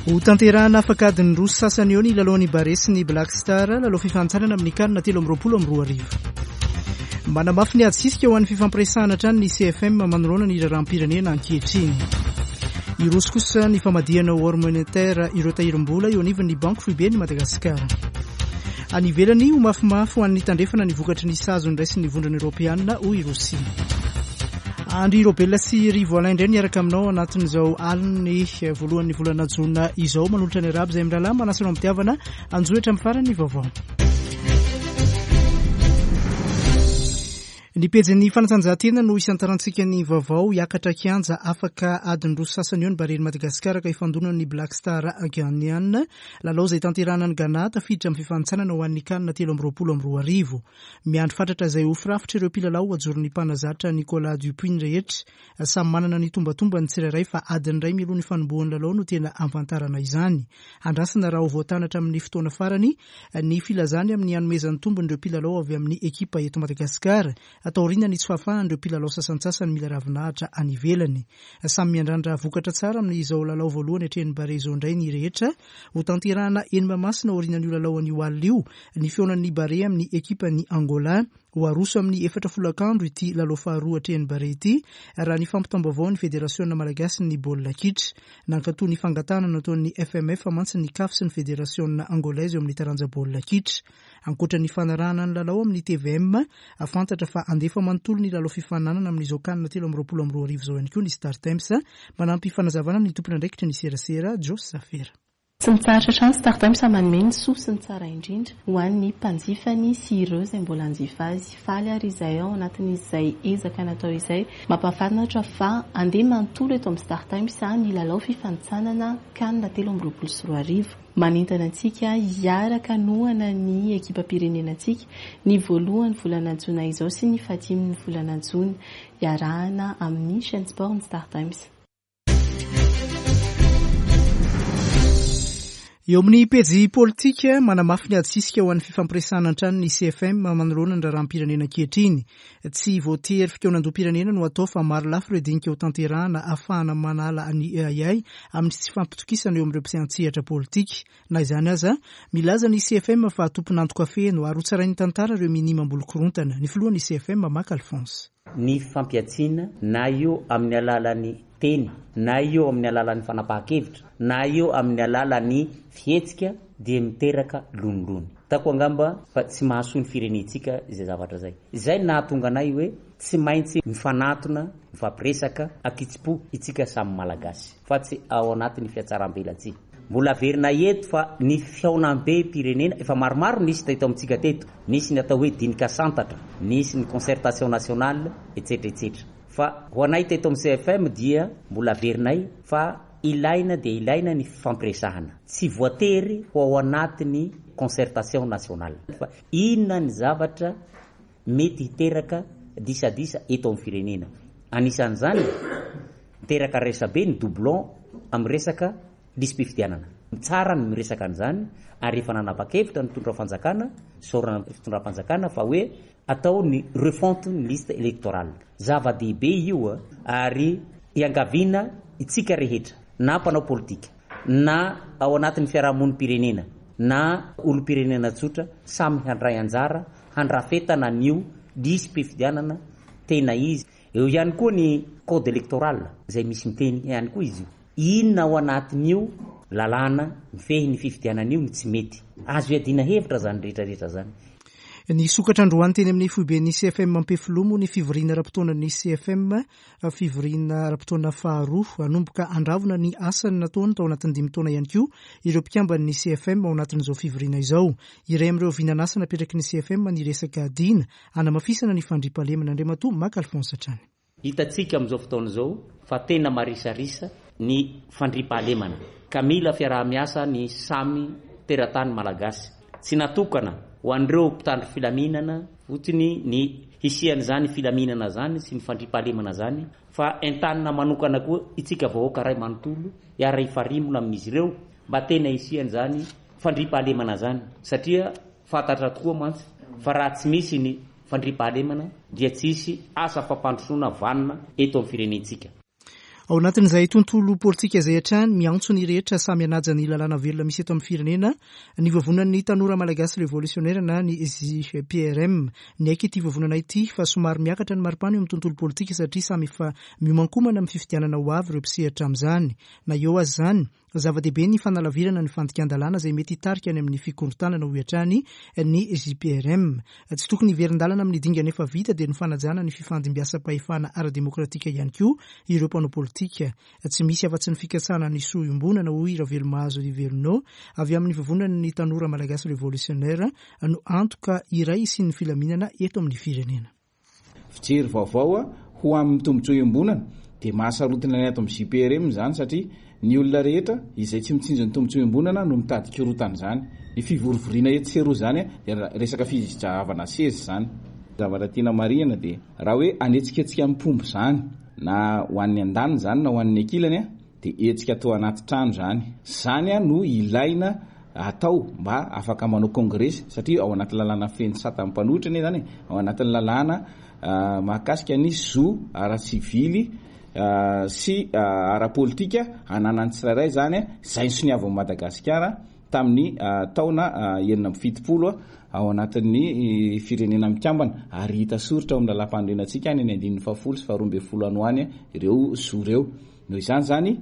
Ho tanterahana afaka adiny roa sy sasany eo ny lalaon'ny Barea sy ny Black Star, lalao fifanintsanana amin'ny CAN 2023. Manamafy ny ady sisika ho an'ny fifampiresahana hatrany ny CFM manoloana ny raharaham-pirenena ankehitriny. Hiroso kosa ny famadihana ho or monétaire ireo tahirim-bola eo anivon'ny Banky Foiben'i Madagasikara. Any ivelany, ho mafimafy ho an'ny tandrefana ny vokatry ny sazy noraisin'ny Vondrona Eoropeana, hoy i Rosia. Andry Raobelina sy Rivo Alain indray niaraka aminao anatin'izao alin'ny voalohan'ny volana jona izao. Manolotra ny arahaba izay mirahalahy manasa anao am-pitiavana anjohy hatramin'ny farany ny vaovao. Ny pejin'ny fanatanjahantena no isantarantsika ny vaovao. Hiakatra kianja afaka adiny roa sy sasany eo ny Barean'i Madagasikara ka hifandona amin'ny Black Star Ghanean. Lalao izay tanterahana any Ghana, tafiditra amin'ny fifanintsanana ho an'ny Can 2023. Miandry fatratra izay ho firafitr'ireo mpilalao ajoron'ny mpanazatra Nicolas Dupuis ny rehetra. Samy manana ny tombatombany ny tsirairay fa adiny iray mialoha ny fanombohan'ny lalao no tena hahafantarana izany. Andrasana raha ho voatana hatramin'ny fotoana farany ny filazany amin'ny hanomezany tombony ireo mpilalao avy amin'ny ekipa eto Madagasikara, taoriana ny tsy fahafahan'ireo mpilalao sasantsasany mila ravinahitra any ivelany. Samy miandrandra vokatra tsara amin'izao lalao voalohany atrehin'ny Barea izao indray ny rehetra. Hotanterahana eny Mahamasina aorianan'io lalao anio alina io ny fihaonan'ny Barea amin'ny ekipan'i Angola. Ho aroso amin'ny efatra folakandro ity lalao faharoa atrehin'ny Barea ity, raha ny fampitam-baovaon'ny Federasiona malagasin'ny baolina kitra. Nankatoa ny fangatahana nataon'ny FMF mantsy ny Caf sy ny Federasiona angolaise eo amin'ny taranja baolina kitra. Ankoatra ny fanarahana ny lalao amin'ny tvm, fantatra fa handefa manontolo ny lalao fifaninanana amin'izao Can 2023 izao ihany koa ny Startimes. Manampy fanazavana ny tompon'andraikitry ny serasera, Joss Zafera. Tsy mitsahatra hatrany Startimes manome ny soa sy ny tsara indrindra ho an'ny mpanjifany sy ireo izay mbola hanjifa azy. Faly ary izahay ao anatin'izay ezaka natao izay mampahafantatra fa handeha manontolo eto amin'ny Startimes ny lalao fifanintsanana Can 2023. Manentana antsika hiaraka hanohana ny ekipam-pirenenantsika ny voalohan'ny volana jona izao sy ny fahadimin'ny volana jona. Iarahana amin'ny Chaîne Sport ny Startimes. Eo amin'ny pejy politika, manamafy ny ady sisika ho an'ny fifampiresahana an-trano ny CFM manoloana ny raharaham-pirenena ankehitriny. Tsy voatery fikaonandoham-pirenena no atao fa maro lafy ireo dinika ho tanterahana ahafahana manala ny ahiahy amin'ny tsy fifampitokisana eo amin'ireo mpiantsehatra politika. Na izany aza, milaza ny CFM fa tompon'antoka feno ary hotsarain'ny tantara ireo minia mamboly korontana. Ny filohan'ny CFM, Maka Alphonse. Ny fampihantsiana, na io amin'ny alalan'ny teny, na io amin'ny alalan'ny fanapahan-kevitra, na io amin'ny alalan'ny fihetsika dia miteraka lonilony. Hitako angamba fa tsy mahasoa ny firenentsika izay zavatra izay. Izay no nahatonga anay hoe tsy maintsy mifanatona, mifampiresaka ankitsim-po itsika samy Malagasy fa tsy ao anatin'ny fihatsarambelatsihy. Mbola averina eto fa ny fihaonambem-pirenena efa maromaro nisy teto amintsika teto, nisy ny atao hoe dinika santatra, nisy ny concertation nationale, etsetra etsetra. Fa ho anay teto amin'ny CFM dia mbola averinay fa ilaina dia ilaina ny fifampiresahana. Tsy voatery ho ao anatin'ny concertation nationale. Fa inona ny zavatra mety hiteraka disadisa eto amin'ny firenena. Anisan'izany, miteraka resabe ny doublon amin'ny resaka lisi-pifidianana. Tsara ny miresaka an'izany ary efa nanapa-kevitra ny mpitondra fanjakana, isaorana ny fitondram-panjakana fa hoe atao ny refonte ny liste électorale. Zava-dehibe io ary iangaviana itsika rehetra na mpanao politika na ao anatin'ny fiarahamonim-pirenena na olom-pirenena tsotra samy handray anjara handrafetana an'io lisi-pifidianana tena izy. Eo ihany koa ny code électoral izay misy miteny ihany koa izy io. Inona ao anatin'io lalàna mifehy ny fifidianana io no tsy mety? Azo iadiana hevitra izany rehetra rehetra izany. Nisokatra androany teny amin'ny foiben'ny CFM Ampefiloha moa ny fivoriana ara-potoanan'ny CFM, fivoriana ara-potoana faharoa. Hanomboka handravona ny asany nataony tao anatin'ny dimy taona ihany koa ireo mpikamban'ny CFM ao anatin'izao fivoriana izao. Iray amin'ireo vinan'asa napetraky ny CFM ny resaka dina hanamafisana ny fandriampahalemana, Andriamatoa Maka Alphonse hatrany. Hitantsika amin'izao fotoana izao fa tena marisarisa ny fandriampahalemana ka mila fiaraha-miasa ny samy teratany Malagasy. Tsy natokana ho an'ireo mpitandro filaminana fotsiny ny hisian'izany filaminana izany sy ny fandriampahalemana izany fa entanina manokana koa itsika vahoaka iray manontolo hiara-hifarimbona amin'izy ireo mba tena hisian'izany fandriampahalemana zany satria fantatra tokoa mantsy fa raha tsy misy ny fandriampahalemana dia tsy hisy asa fampandrosoana vanona eto amin'ny firenentsika. Ao anatin'izay tontolo politika izay hatrany, miantso ny rehetra samy hanaja ny lalàna velona misy eto amin'ny firenena ny Vovonan'ny Tanora Malagasy Revolisiônera na ny JPRM. Niaiky ity vovonana ity fa somary miakatra ny maripana eo amin'ny tontolo politika satria samy efa miomankomana amin'ny fifidianana ho avy ireo mpisehatra amin'izany. Na eo aza izany, Zava-dehibe ny fanalavirana ny fandikan-dalàna izay mety hitarika any amin'ny fikorontanana, hoy hatrany ny JPRM. Tsy tokony hiverin-dalana amin'ny dingana efa vita dia ny fanajana ny fifandimbiasam-pahefana ara-demokratika ihany koa ireo mpanao politika. Tsy misy afa-tsy ny fikatsahana ny soa iombonana, hoy Ravelomahazo Rivelino, avy amin'ny Vovonan'ny Tanora Malagasy Revolutionnaire, no antoka iray hisian'ny filaminana eto amin'ny firenena. Fijery vaovao ho amin'ny tombontsoa iombonana dia mahasarotiny ny ato amin'ny JPRM izany satria ny olona rehetra izay tsy mitsinjo ny tombontsoa iombonana no mitady korontana izany. Ny fivorivoriana etsy sy eroa izany dia resaka fizahavana seza izany. Zavatra tiana marihina dia raha hoe hanetsiketsika ny mpomba izany na ho an'ny andaniny izany na ho an'ny ankilany Dia hetsika atao anaty trano izany. Izany no ilaina atao mba afaka manao kongresy satria ao anaty lalàna feno sata mpanohitra anie izany e, ao anatin'ny lalàna mahakasika ny zo ara-tsivily sy ara-politika ananan'ny tsirairay izany, izay nosoniavin'i Madagasikara tamin'ny taona 76 ao anatin'ny Firenena Mikambana ary hita soritra ao amin'ny lalàmpanorenantsika any ny andininy fahafolo sy faharoa ambin'ny folo any ho any ireo zo ireo. Noho izany izany,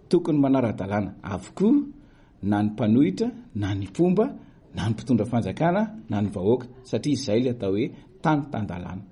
tokony manara-dalàna avokoa na ny mpanohitra na ny mpomba na ny mpitondra fanjakana na ny vahoaka satria izay ilay atao hoe tany tan-dalàna.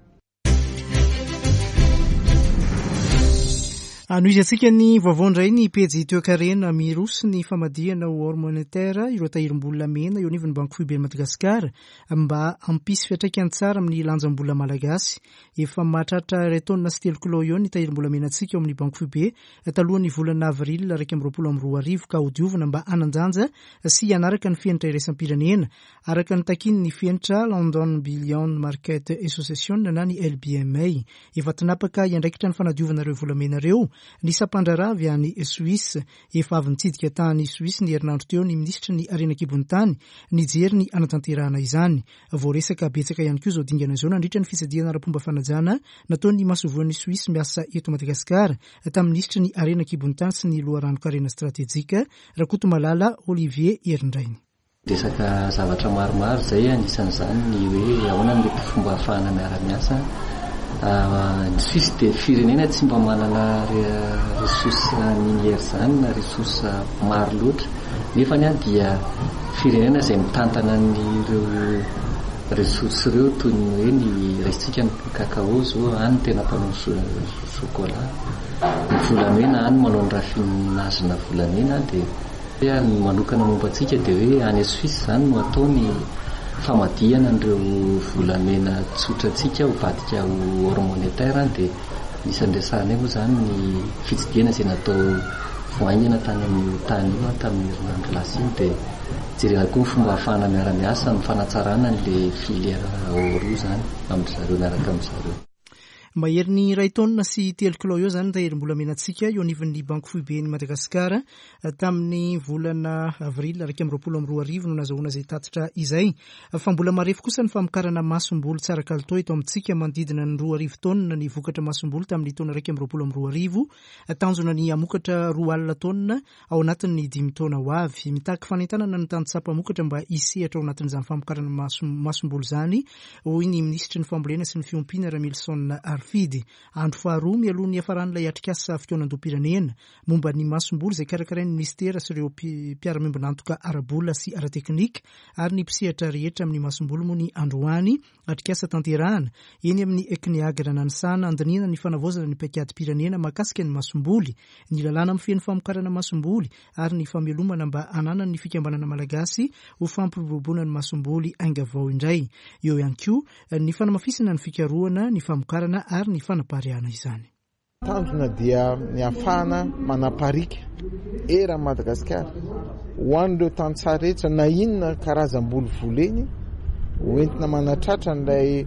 Anohizantsika ny vaovao indray ny pejy toekarena miroso ny famadihana ho or monétaire ireo tahirim-bola mena eo anivon'ny Banky Foiben'i Madagasikara mba hampisy fiantraikany tsara amin'ny lanjam-bola malagasy. Efa mahatratra iray taonina sy telo kilao eo ny tahirim-bolamenantsika ao amin'ny Banky Foibe talohan'ny volana avril 2021 ka hodiovina mba hanan-danja sy hanaraka ny fenitra iraisam-pirenena araka ny takian'ny fenitra London Bullion Market Association na ny LBMA. Efa tinapaka hiandraikitra ny fanadiovana ireo volamena ireo ny sampandraharaha avy any Suisse. Efa avy nitsidika tany Suisse ny herinandro teo ny minisitry ny harena an-kibon'ny tany nijery ny hanatanterahana izany. Voaresaka betsaka ihany koa izao dingana izao nandritra ny fitsidihana ara-pomba fanajana nataon'ny masoivohon'i Suisse miasa eto Madagasikara tamin'ny minisitry ny Harena an-kibon'ny tany sy ny loharanon-karena stratejika, Rakotomalala Olivier Herindrainy. Resaka zavatra maromaro izay, anisan'izany ny hoe ahoana no mety fomba ahafahana miara-miasa. Ny Suisse dia firenena tsy mba manana ressources minières izany na ressources maro loatra. Nefany dia firenena izay mitantana an'ireo ressources ireo toy ny hoe ny raisintsika ny cacao izao, any no tena mpanao chocolat, ny volamena any manao ny raffinage-na volamena dia ny manokana momba antsika dia hoe any Suisse izany no atao ny famadihana an'ireo volamena tsotra antsika ho vadika ho or monétaire dia Anisan'ny resahanay moa izany ny fitsidihana izay natao vao haingana tany amin'io tany io tamin'ny herinandro lasa iny dia jerena koa ny fomba ahafahana miara-miasa amin'ny fanatsarana an'ilay filière or io izany amin-dry zareo miaraka amin-dry zareo. Maherin'ny iray taonina sy telo kilao eo izany ny tahirim-bolamenantsika eo anivon'ny Banky Foiben'i Madagasikara. Tamin'ny volana avril 2021 no nazahoana izay tatitra izay. Fa mbola marefo kosa ny famokarana masomboly tsara kalitao eto amintsika, manodidina ny 2000 taonina ny vokatra masomboly tamin'ny taona 2021. Tanjona ny hamokatra 20 taonina ao anatin'ny dimy taona ho avy. Mitaky fanentanana ny tantsaha mpamokatra mba hisehatra ao anatin'izany famokarana masomboly izany, hoy ny minisitry ny fambolena sy ny fiompiana Ramilison Harifidy. Andro faharoa mialoha ny hiafaran'ilay atrikasa fikaonandoham-pirenena momba ny masomboly izay karakarain'ny minisitera sy ireo mpiara-miombon'antoka ara-bola sy ara-teknika ary ny mpisehatra rehetra amin'ny masomboly moa ny androany atrikasa tanterahana eny amin'ny Cneagr Nanisana handinihana ny fanavaozana ny paikadim-pirenena mahakasika ny masomboly, ny lalàna mifehy ny famokarana masomboly ary ny famelomana mba hananan'ny fikambanana malagasy ho fampiroboroboana ny masomboly ainga vao indray. Eo ihany koa ny fanamafisana ny fikarohana, ny famokarana ary ny fanapariahana izany. Tanjona dia ny hahafahana manapariaka eran'i Madagasikara ho an'ireo tantsaha rehetra na inona karazam-boly voleny ho entina manatratra an'ilay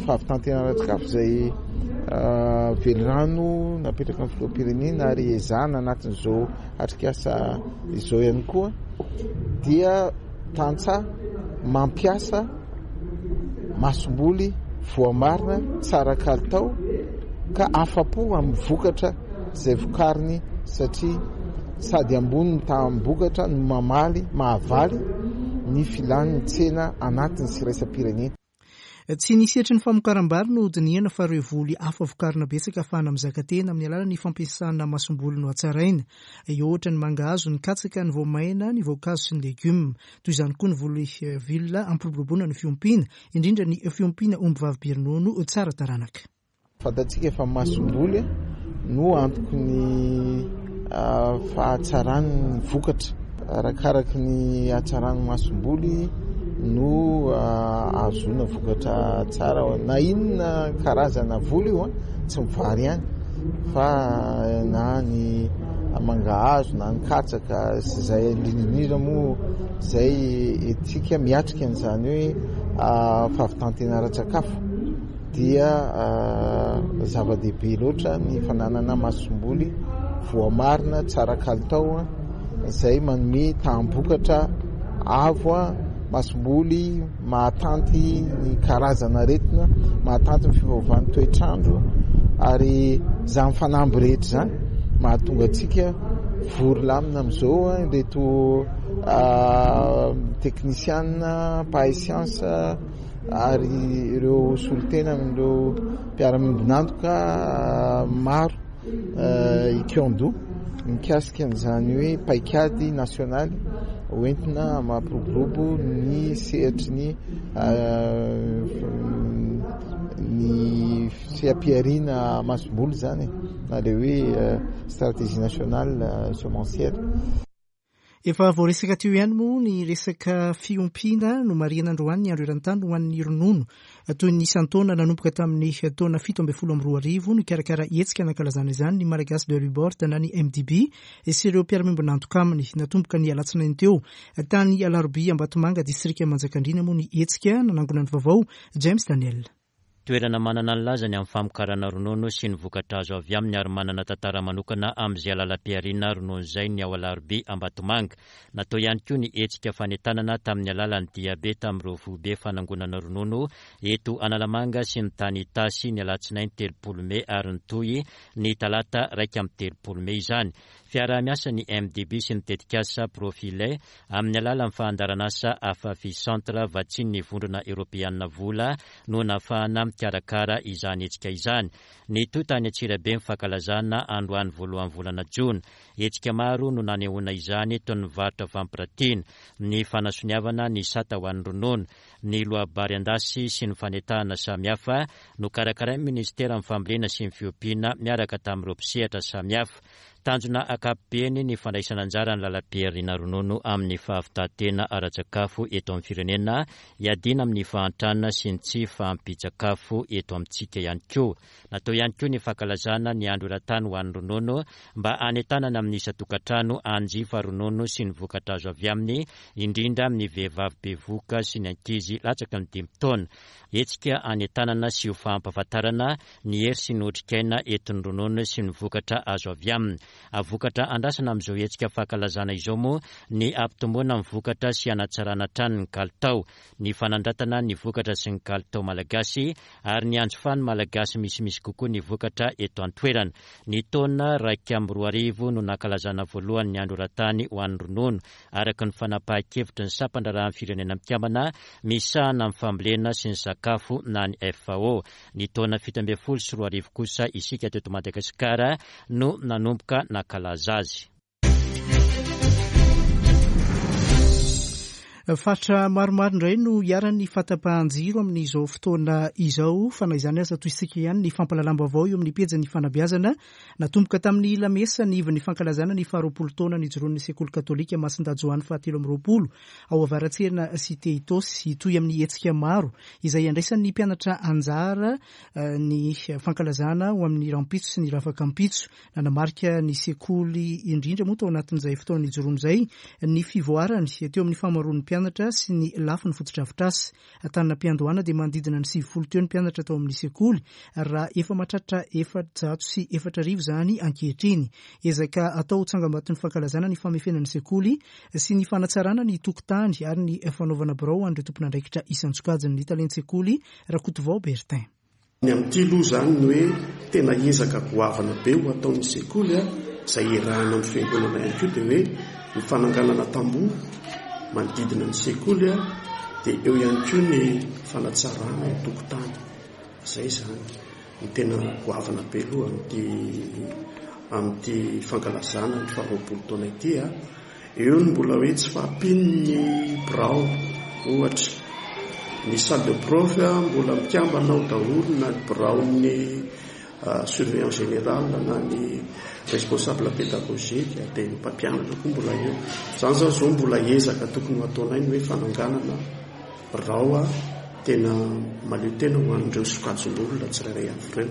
fahavitan-tena ara-tsakafo izay velirano napetraka ny filoham-pirenena ary ezahana anatin'izao atrikasa izao ihany koa dia tantsaha mampiasa masomboly voamarina tsara kalitao ka afa-po amin'ny vokatra. izay vokariny satria sady ambony ny taham-bokatra no mamaly, mahavaly ny filan'ny tsena anatiny sy iraisam-pirenena. Tsy ny sehatry ny famokaram-bary no hodinihana fa ireo voly hafa vokarina betsaka ahafahana mizaka tena amin'ny alalan'ny fampiasana masomboly nohatsaraina. Eo ohatra ny mangahazo, ny katsaka, ny voamaina, ny voankazo sy ny legioma. Toy izany koa ny voly vilona hampiroboroboana ny fiompiana, indrindra ny fiompiana ombivavy be ronono tsara taranaka. Fantatsika fa masomboly no antoky ny fahatsaran'ny vokatra. Arakaraky ny hatsaran'ny masomboly no ahazoana vokatra tsara. Na inona karazana voly io, tsy ny vary ihany fa na ny mangahazo na ny katsaka sy izay indrindra indrindra moa izay entintsika miatrika an'izany hoe fahavitan-tena ara-tsakafo. dia zava-dehibe loatra ny fananana masomboly voamarina tsara kalitao izay manome taham-bokatra avo, masomboly mahatanty ny karazana aretina, mahatanty ny fiovaovan'ny toetr'andro ary izany fanamby rehetra izany mahatonga antsika vory lamina amin'izao ireto teknisiana mpahay siansa ary ireo solontena amin'ireo mpiara-miombon'antoka maro hikaon-doha mikasika an'izany hoe paikady nasionaly hoentina mampiroborobo ny sehatry ny ny seha-pihariana masomboly izany e, na ilay hoe stratégie nationale semencière. Efa voaresaka teo ihany moa ny resaka fiompiana nomarihana androany ny andro eran-tany ho an'ny ronono. Toy ny isan-taona nanomboka tamin'ny taona 2017 nikarakara hetsika nankalazana izany ny Malagasy Dairy Board na ny MDB sy ireo mpiara-miombon'antoka aminy. Natomboka ny alatsinainy teo tany Alarobia Ambatomanga distrika Manjakandriana moa ny hetsika nanangona ny vaovao James Daniel. Toerana manana ny lazany amin'ny famokarana ronono sy ny vokatra azo avy aminy ary manana tantara manokana amin'izay alalam-pihariana ronono izay ny ao Alarobia Ambatomanga. Natao ihany koa ny hetsika fanentanana tamin'ny alalan'ny diabe tamin'ireo foibe fanangonana ronono eto Analamanga sy ny tany Itasy ny alatsinainy 30 mey ary nitohy ny talata 31 mey izany. Fiaraha-miasan'ny MDB sy ny tetikasa Profile amin'ny alalan'ny fandaharanasa Afafi Centre vatsian'ny Vondrona Eoropeana vola no nahafahana mikarakara izany hetsika izany. Nitohy tany Antsirabe ny fankalazana androany voalohan'ny volana jona. Hetsika maro no nanehoana izany toy ny varotra fampiratiana, ny fanasoniavana ny sata ho an'ny ronono, ny loabary an-dasy sy ny fanetahana samihafa nokarakarain'ny Minisiteran'ny Fambolena sy ny Fiompiana miaraka tamin'ireo mpisehatra samihafa. Tanjona ankapobeny ny fandraisana anjara ny lalam-pihariana ronono amin'ny fahavitantena ara-tsakafo eto amin'ny firenena, hiadiana amin'ny fahantrana sy ny tsy fahampian-tsakafo eto amintsika ihany koa. Natao ihany koa ny fankalazana ny andro eran-tany ho an'ny ronono mba hanentanana amin'ny isan-tokantrano hanjifa ronono sy ny vokatra azo avy aminy, indrindra amin'ny vehivavy bevohoka sy ny ankizy latsaky ny dimy taona. Hetsika hanentanana sy ho fampahafantarana ny hery sy ny otrikaina entin'ny ronono sy ny vokatra azo avy aminy. Vokatra andrasana amin'izao hetsika fankalazana izao moa ny hampitomboana ny vokatra sy hanatsarana hatrany ny kalitao, ny fanandratana ny vokatra sy ny kalitao malagasy ary ny hanjifan'ny Malagasy misimisy kokoa ny vokatra eto an-toerana. Ny taona 2001 no nankalazana voalohany ny Andro eran-tany ho an'ny ronono, araka ny fanapahan-kevitry ny sampan-draharahan'ny Firenena Mikambana misahana ny fambolena sy ny sakafo na ny FAO. Ny taona 2017 kosa isika teto Madagasikara no nanomboka nankalaza azy. Faritra maromaro indray no iharan'ny fahatapahan-jiro amin'izao fotoana izao, fa na izany aza tohizintsika ihany ny fampahalalam-baovao eo amin'ny pejin'ny fanabeazana. Natomboka tamin'ny lamesa ny ivon'ny fankalazana ny faharoapolo taona nijoroan'ny sekoly katolika Masindahy Joany fahatelo amby 20 ao Avaratsena Cité Itaosy. Hitohy amin'ny hetsika maro izay handraisan'ny mpianatra anjara ny fankalazana ho amin'ny rahampitso sy ny rafakampitso. Nanamarika ny sekoly indrindra moa tao anatin'izay fotoana nijoroany izay ny fivoarany teo amin'ny fahamaroan'ny mpianatra sy ny lafiny fotodrafitrasa. Tany am-piandohana dia manodidina ny 90 teo ny mpianatra tao amin'ny sekoly raha efa mahatratra 4400 izany ankehitriny. Ezaka atao ho tsangambaton'ny fankalazana ny famefena ny sekoly sy ny fanatsarana ny tokotany ary ny fanaovana birao ho an'ireo tompon'andraikitra isan-tsokajiny ny talen-tsekoly Rakotovao Bertin. Ny amin'ity aloha izany ny hoe tena ezaka goavana be ho ataon'ny sekoly izay iarahana amin'ny fiangonana ihany koa dia hoe ny fananganana tamboho manodidina ny sekoly dia eo ihany koa ny fanatsarana ny tokotany. Izay izany no tena goavana be aloha amin'ity amin'ity fankalazana ny faharoapolo taona ity. Eo ny mbola hoe tsy fahampian'ny birao ohatra. Ny salle de prof mbola mikambana ao daholo na ny biraon'ny surveillant général na ny responsable pédagogique dia ny mpampianatra koa mbola eo. Izany izany izao mbola ezaka tokony ho ataonay ny hoe fananganana birao tena mahaleo tena ho an'ireo sokajin'olona tsirairay avy ireo.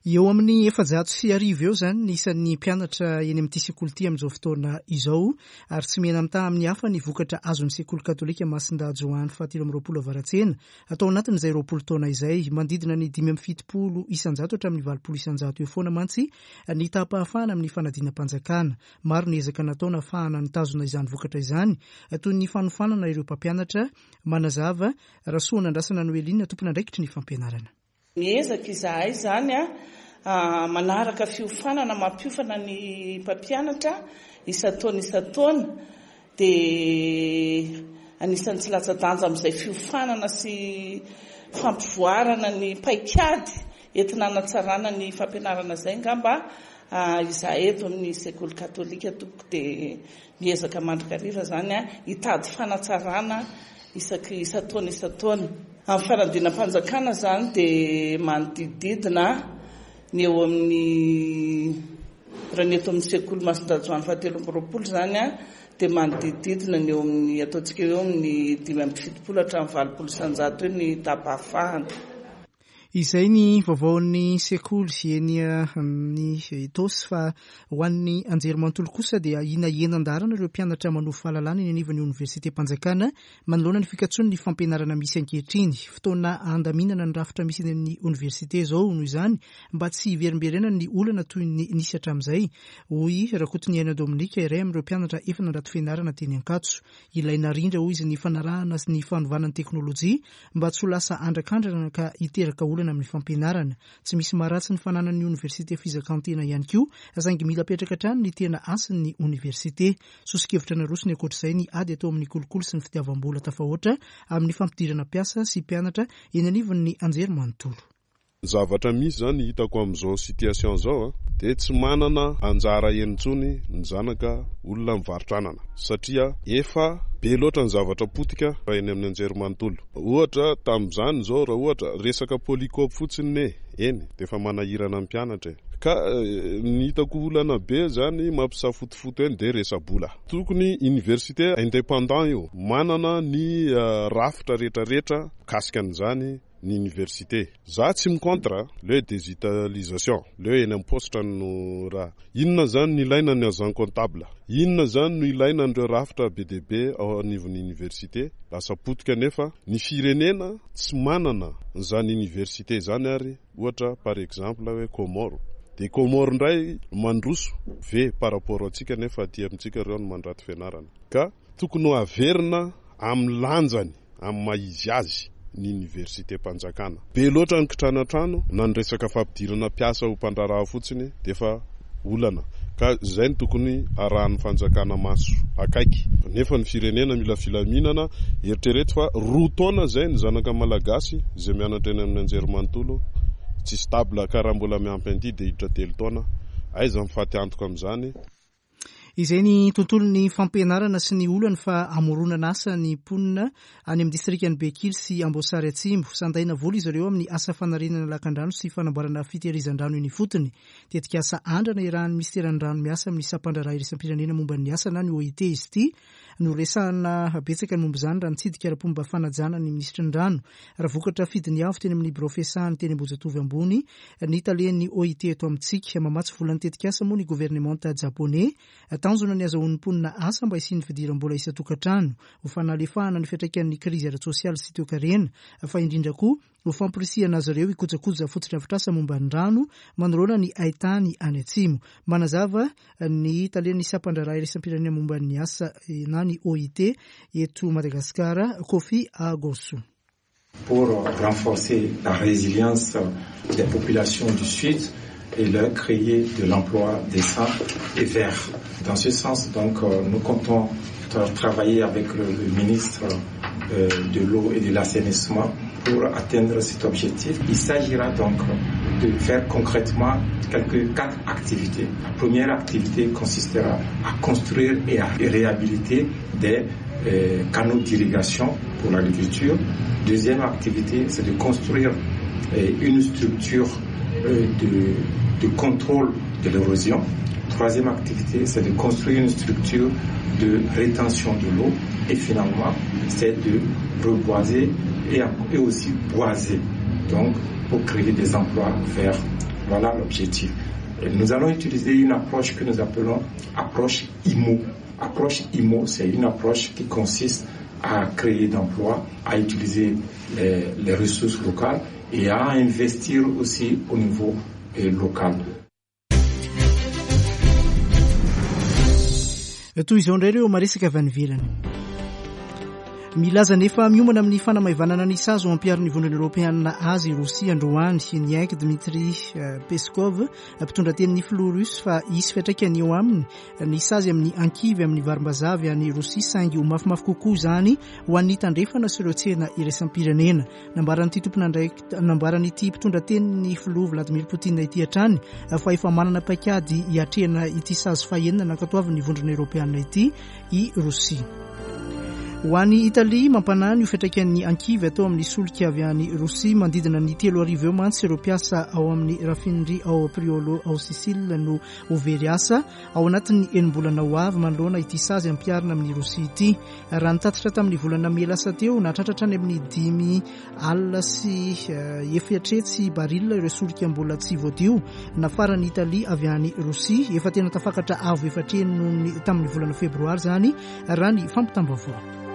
Eo amin'ny 1400 eo izany ny isan'ny mpianatra eny amin'ity sekoly ity amin'izao fotoana izao ary tsy mihena-mitaha amin'ny hafa ny vokatra azon'ny sekoly katolika Masindahy Joany fahatelo amby 20 Avaratsena atao anatin'izay 20 taona izay. Manodidina ny 75% hatramin'ny 80% eo foana mantsy ny taham-pahafahana amin'ny fanadinam-panjakana. Maro ny ezaka natao nahafahana nitazona izany vokatra izany toy ny fanofanana ireo mpampianatra, manazava Rasoanandrasana Noeline, tompon'andraikitry ny fampianarana. Miezaka izahay izany manaraka fiofanana mampiofana ny mpampianatra isan-taona isan-taona dia anisan'ny tsy latsa-danja amin'izay fiofanana sy fampivoarana ny paikady entina hanatsarana ny fampianarana izay angamba izahay eto amin'ny sekoly katolika tompoko dia miezaka mandrakariva izany hitady fanatsarana isaky isan-taona isan-taona. Amin'ny fanadinam-panjakana izany dia manodidididina ny eo amin'ny, raha ny eto amin'ny sekoly Masindahy Joany fahatelo amby 20 izany dia manodidididina ny eo amin'ny ataontsika eo amin'ny 75 hatramin'ny 80% eo ny taham-pahafahana. Izay ny vaovaon'ny sekoly eny amin'ny Itaosy fa ho an'ny anjerimanontolo kosa dia ahiana hihena an-daharana ireo mpianatra manovo fahalalana eny anivon'ny oniversitem-panjakana manoloana ny fikatsoan'ny fampianarana misy ankehitriny. Fotoana handaminana ny rafitra misy eny amin'ny oniversite izao noho izany mba tsy hiverimberenan'ny olana toy ny nisy hatramin'izay, hoy Rakotoniaina Dominique, iray amin'ireo mpianatra efa nandrato fianarana teny Ankatso. Ilaina arindra, hoy izy, ny fanarahana sy ny fanovana ny teknolojia mba tsy ho lasa andrakandrana ka hiteraka olana amin'ny fampianarana. Tsy misy maharatsy ny fananan'ny oniversite fizakan-tena ihany koa, saingy mila apetraka hatrany ny tena hasin'ny oniversite. Soso-kevitra narosony ankoatr'izay ny ady atao amin'ny kolikoly sy ny fitiavam-bola tafahoatra amin'ny fampidirana mpiasa sy mpianatra eny anivon'ny anjerimanontolo. Ny zavatra misy zany hitako amin'izao situation zao a, de tsy manana anjara eny intsony ny zanaka olona mivarotra anana satria efa be loatra ny zavatra potika raha eny amin'ny anjerimanontolo. Ohatra tamin'izany zao raha ohatra resaka polycope fotsiny ne eny de efa manahirana ny mpianatra e. Ka ny hitako olana be zany mampisafotofoto eny de resa-bola. Tokony université indépendant io, manana ny rafitra retraretra mikasika an'izany ny université. Za tsy mi-contre le digitalisation, le eny am paositra no raha. Inona zany no ilaina ny agent comptable? Inona zany no ilaina an'ireo rafitra be dia be ao anivon'ny université? Lasa potika nefa ny firenena tsy manana an'izany université izany ary ohatra par exemple hoe Comores. Dia Comores indray mandroso ve par rapport antsika nefa aty amintsika ireo no mandrato fianarana. Ka tokony ho averina amin'ny lanjany. amin'ny maha izy azy ny oniversitem-panjakana. Be loatra ny kitranatrano na ny resaka fampidirana mpiasa ho mpandraharaha fotsiny dia efa olana ka izay no tokony arahan'ny fanjakana maso akaiky. Nefa ny firenena mila filaminana, eritrereto fa roa taona izay ny zanaka malagasy izay mianatra eny amin'ny anjerimanontolo tsy stable ka raha mbola miampy an'ity dia hiditra telo taona, aiza ny faty antoka amin'izany? Izay ny tontolon'ny fampianarana sy ny olany fa hamoronana asa ny mponina any amin'ny distrikan'i Bekily sy Amboasary Atsimo. Sandaina vola izy ireo amin'ny asa fanarenana lakandrano sy fanamboarana fitehirizan-drano eny ifotony. Tetikasa andrana iarahan'ny minisiteran'ny rano miasa amin'ny sampandraharaha iraisam-pirenena momba ny asa na ny OIT izy ity. Noresahana betsaka ny momba izany raha nitsidika ara-pomba fanajana ny minisitry ny rano. Ravokatra Fidiniavo teny amin'ny birao fiasahany teny Ambohijatovo ambony ny talen'ny OIT eto amintsika. Mamatsy vola ny tetikasa moa ny governemanta japoney. Tanjona ny hazahoan'ny mponina asa mba hisian'ny fidiram-bola isan-tokantrano, ho fanalefahana ny fiantraikan'ny krizy ara-tsosialy sy toekarena, fa indrindra koa ho famporisihana azy ireo hikojakoja fotodrafitrasa momba ny rano manoloana ny haitany any atsimo. Manazava ny talen'ny sampandraharaha iraisam-pirenena momba ny asa na ny OIT eto Madagasikara, Koffi Agossou. Pour renforcer la résilience des populations du Sud et leur créer de l'emploi décent et vert. Dans ce sens, donc, nous comptons travailler avec le ministre de l'eau et de l'assainissement pour atteindre cet objectif. Il s'agira donc de faire concrètement quelques quatre activités. La première activité consistera à construire et à réhabiliter des canaux d'irrigation pour l'agriculture. Deuxième activité, c'est de construire une structure de contrôle de l'érosion. Troisième activité, c'est de construire une structure de rétention de l'eau. Et finalement, c'est de reboiser et aussi boiser, donc pour créer des emplois verts. Voilà l'objectif. Et nous allons utiliser une approche que nous appelons approche IMO. Approche IMO, c'est une approche qui consiste à créer d'emplois, à utiliser les ressources locales et à investir aussi au niveau local. Toy izao indray ireo maresaka avy any ivelany. Milaza nefa miomana amin'ny fanamaivanana ny sazy ho ampiharin'ny Vondrona Eoropeanina azy i Rosia androany. Niaiky Dmitry Peskov, mpitondra tenin'ny filoha russe fa hisy fiantraikany eo aminy ny sazy amin'ny ankivy amin'ny varimbazaha avy any Rosia saingy ho mafimafy kokoa izany ho an'ny tandrefana sy ireo tsena iraisam-pirenena. Nambaran'ity tompon'andraikitra nambaran'ity mpitondra tenin'ny filoha Vladimir Poutine ity hatrany fa efa manana paikady hiatrehana ity sazy fahenina nankatoavin'ny Vondrona Eoropeanina ity i Rosia. Ho an'i Italia, mampanahy ny ho fiantraikan'ny ankivy atao amin'ny solika avy any Rosia. Manodidina ny 3000 eo mantsy ireo mpiasa ao amin'ny rafinerie ao Priolo ao Sicile no ho very asa ao anatin'ny enim-bolana ho avy manoloana ity sazy ampiharina amin'i Rosia ity. Raha nitatitra tamin'ny volana mey lasa teo, nahatratra hatrany amin'ny 5 000 efatretsy barila ireo solika mbola tsy voadio nafaran'i Italia avy any Rosia. Efa tena tafakatra avo efatra heny noho ny tamin'ny volana febroary izany raha ny fampitam-baovao.